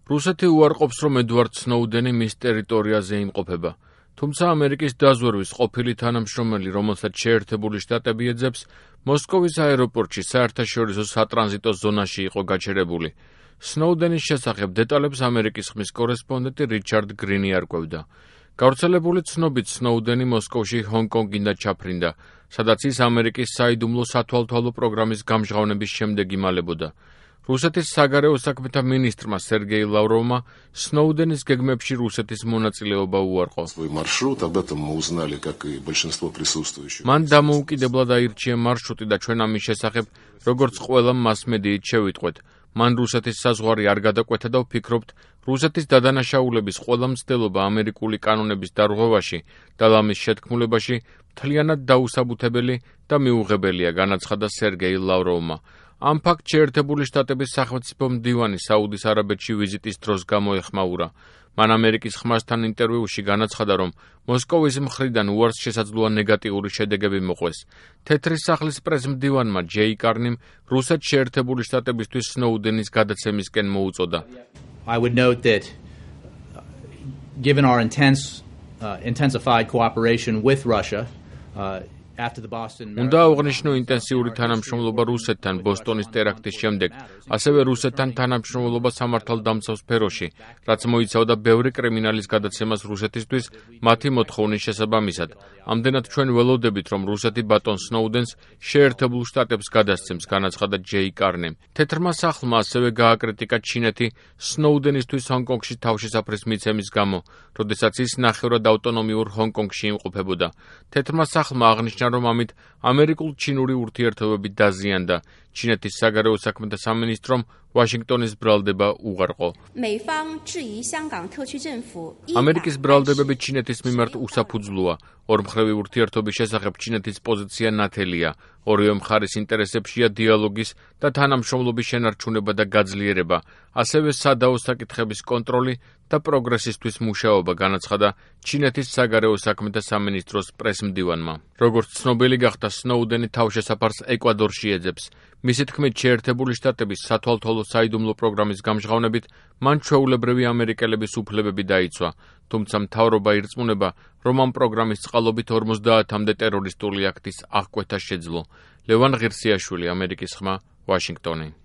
რუსეთი უარყოფს, რომ ედვარდ სნოუდენი მის ტერიტორიაზე იმყოფება. თუმცა ამერიკის დაზვერვის ყოფილი თანამშრომელი, რომელსაც შეერთებული შტატები ეძებს, მოსკოვის აეროპორტში საერთაშორისო სატრანზიტო ზონაში იყო გაჩერებული. სნოუდენის შესახებ დეტალებს ამერიკის ხმის კორესპონდენტი რიჩარდ გრინი არკვევდა. გავრცელებული ცნობით სნოუდენი მოსკოვში ჰონკონგიდან ჩაფრინდა, სადაც ის ამერიკის საიდუმლო სათვალთვალო პროგრამის გამჟღავნების შემდეგ იმალებოდა. რუსეთის საგარეო საქმეთა მინისტრმა სერგეი ლავროვმა სნოუდენის გეგმებში რუსეთის მონაწილეობა უარყო. მან დამოუკიდებლად აირჩია მარშრუტი და ჩვენ ამის შესახებ, როგორც ყველა მასმედიით შევიტყვეთ. მან რუსეთის საზღვარი არ გადაკვეთა და ვფიქრობთ, რუსეთის დადანაშაულების ყველა მცდელობა ამერიკული კანონების დარღვევაში და ლამის შეთქმულებაში მთლიანად დაუსაბუთებელი და მიუღებელია, განაცხადა სერგეი ლავროვმა. ამ ფაქტს შეერთებული შტატების სახელმწიფო მდივანი საუდის არაბეთში ვიზიტის დროს გამოეხმაურა. მან ამერიკის ხმასთან ინტერვიუში განაცხადა, რომ მოსკოვის მხრიდან უარს შესაძლოა ნეგატიური შედეგები მოყვეს. თეთრი სახლის პრეს-მდივანმა ჯეი კარნიმ რუსეთს შეერთებული შტატებისთვის სნოუდენის გადაცემისკენ მოუწოდა. I would note that given our intensified cooperation with Russia, უნდა აღნიშნო ინტენსიური თანამშრომლობა რუსეთთან ბოსტონის ტერაქტის შემდეგ, ასევე რუსეთთან თანამშრომლობა სამართალდამცავ სფეროში, რაც მოიცავდა ბევრი კრიმინალის გადაცემას რუსეთისთვის მათი მოთხოვნის შესაბამისად. ამდენად ჩვენ ველოდებით, რომ რუსეთი ბატონ სნოუდენს შეერთებულ შტატებს გადასცემს, განაცხადა ჯეი კარნიმ. თეთრმა სახლმა ასევე გააკრიტიკა ჩინეთი სნოუდენისთვის ჰონკონგში თავშესაფრის მიცემის გამო, როდესაც ის ნახევრად ავტონომიურ ჰონკონგში იმყოფებოდა. თეთრმა სახლმა აღნიშნა, რომ ამით ამერიკულ-ჩინური ურთიერთობები დაზიანდა. ჩინეთის საგარეო საქმეთა სამინისტრომ ვაშინგტონის ბრალდება უღარყო. ამერიკის ბრალდებები ჩინეთის მიმართ უსაფუძვლოა. ორმხრივი ურთიერთობის შესახებ ჩინეთის პოზიცია ნათელია. ორივე მხარის ინტერესებშია დიალოგის და თანამშრომლობის შენარჩუნება და გაძლიერება, ასევე სადაო საკითხების კონტროლი და პროგრესისთვის მუშაობა, განაცხადა ჩინეთის საგარეო საქმეთა სამინისტროს პრეს-მდივანმა. როგორც ცნობილი გახდა, სნოუდენი თავშესაფარს ეკვადორში ეძებს. მისი თქმით, შეერთებული შტატების სათვალთვალო საიდუმლო პროგრამის გამჟღავნებით მან ჩვეულებრივი ამერიკელების უფლებები დაიცვა, თუმცა მთავრობა ირწმუნება, რომ ამ პროგრამის წყალობით 50-მდე ტერორისტული აქტის აღკვეთა შეძლო. ლევან ღირსიაშვილი, ამერიკის ხმა, ვაშინგტონი.